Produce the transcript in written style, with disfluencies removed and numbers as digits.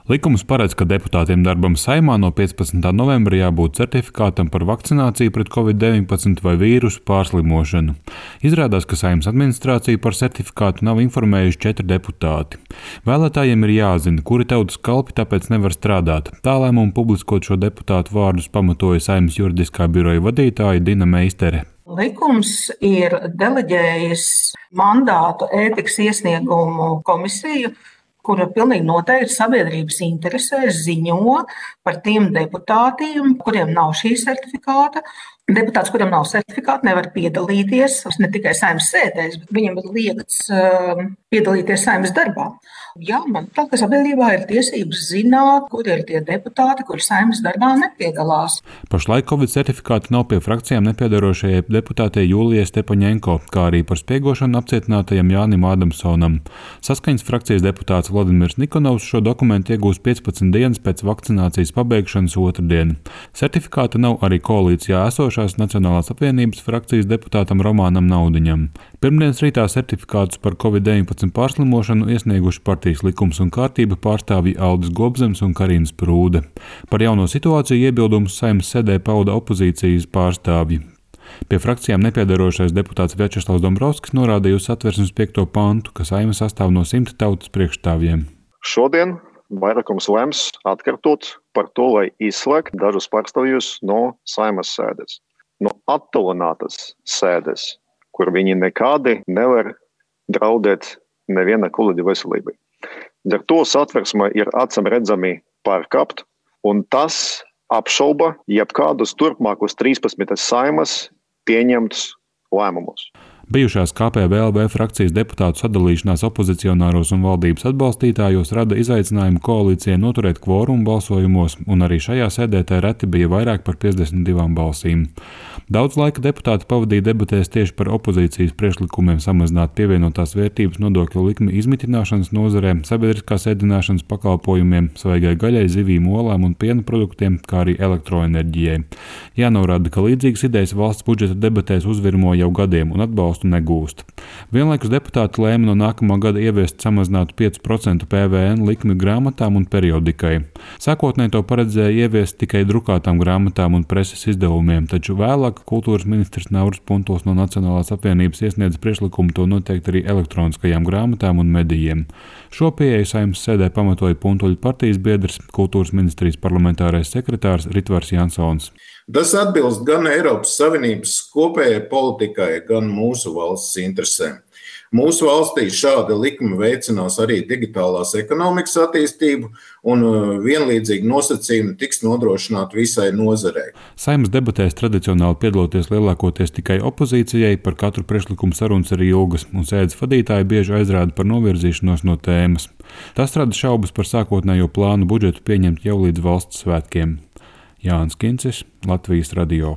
Likums paredz, ka deputātiem darbam Saeimā no 15. novembra jābūt certifikātam par vakcināciju pret Covid-19 vai vīrusu pārslimošanu. Izrādās, ka Saeimas administrācija par certifikātu nav informējuši 4 deputāti. Vēlētājiem ir jāzina, kuri tautas kalpi tāpēc nevar strādāt. Tā lēmumu publiskot šo deputātu vārdus pamatoja Saeimas juridiskā biroja vadītāja Dina Meistere. Likums ir deleģējis mandātu ētikas iesniegumu komisiju, kura pilnīgi noteikti sabiedrības interesēs ziņo par tiem deputātiem, kuriem nav šī certifikāta. Deputāts, kuriem nav certifikāta, nevar piedalīties ne tikai Saeimas sēdēs, bet viņam ir liegts piedalīties Saeimas darbā. Jā, manuprāt, ka sabiedrībā ir tiesības zināt, kur ir tie deputāti, kuri Saeimas darbā nepiedalās. Pašlaik Covid certifikāti nav pie frakcijām nepiedarošajai deputātei Jūlijai Stepaņenko, kā arī par spiegošanu apcietinātajam Jānim Ādamsonam. Saskaņas frakcijas deputāts Vladimirs Nikonovs šo dokumentu iegūs 15 dienas pēc vakcinācijas pabeigšanas otrdien. Certifikāta nav arī koalīcijā esošās Nacionālās apvienības frakcijas deputātam Romānam Naudiņam. Pirmdienas rītā certifikātus par Covid-19 pārslimošanu iesnieguši partijas Likums un kārtība pārstāvji Aldis Gobzems un Karina Sprūde. Par jauno situāciju iebildumus Saeimas sēdē pauda opozīcijas pārstāvji. Pie frakcijām nepiedarošais deputāts Vjačeslavs Dombrovskis norādīja uz Satversmes 5. pantu, ka Saeima sastāv no 100 tautas priekšstāvjiem. Šodien vairākums lems atkārtot par to, lai izslēgt dažus pārstāvjus no Saeimas sēdes, no attālinātas sēdes, kur viņi nekādi nevar draudēt neviena kolēģa veselībai. Ar to Satversme ir acīm redzami pārkāpt, un tas apšauba jebkādus turpmākus 13 Saeimas pieņemtus lēmumus. Bijušās KPVLV frakcijas deputātu sadalīšanās opozicionāros un valdības atbalstītājos rada izaicinājumu koalīcijai noturēt kvorumu balsojumos, un arī šajā sēdē reti bija vairāk par 52 balsīm. Daudz laika deputāti pavadīja debatēs tieši par opozīcijas priekšlikumiem samazināt pievienotās vērtības nodokļu likmi izmitināšanas nozarē, sabiedriskās ēdināšanas pakalpojumiem, svaigai gaļai, zivīm, olām un piena produktiem, kā arī elektroenerģijai. Jānorāda, ka līdzīgas idejas valsts budžeta debatēs uzvirmo jau gadiem un atbalstu negūst. Vienlaikus deputāti lēma no nākamā gada ieviest samazinātu 5% PVN likmi grāmatām un periodikai. Sākotnēji to paredzēja ieviest tikai drukātām grāmatām un preses izdevumiem, taču vēlāk kultūras ministrs Nauris Puntuls no Nacionālās apvienības iesniedza priekšlikumu to noteikt arī elektroniskajām grāmatām un medijiem. Šo pieeju Saeimas sēdē pamatoja Puntuļu partijas biedrs, kultūras ministrijas parlamentārais sekretārs Ritvars Jansons. Tas atbilst gan Eiropas Savienības kopējai politikai, gan mūsu valsts interesēm. Mūsu valstī šāda likuma veicinās arī digitālās ekonomikas attīstību, un vienlīdzīgi nosacījumi tiks nodrošināti visai nozarei. Saeimas debatēs tradicionāli piedaloties lielākoties tikai opozīcijai, par katru priekšlikumu sarunas ir ilgas, un sēdes vadītāji bieži aizrāda par novirzīšanos no tēmas. Tas rada šaubas par sākotnējo plānu budžetu pieņemt jau līdz valsts svētkiem. Jānis Kincis, Latvijas radio.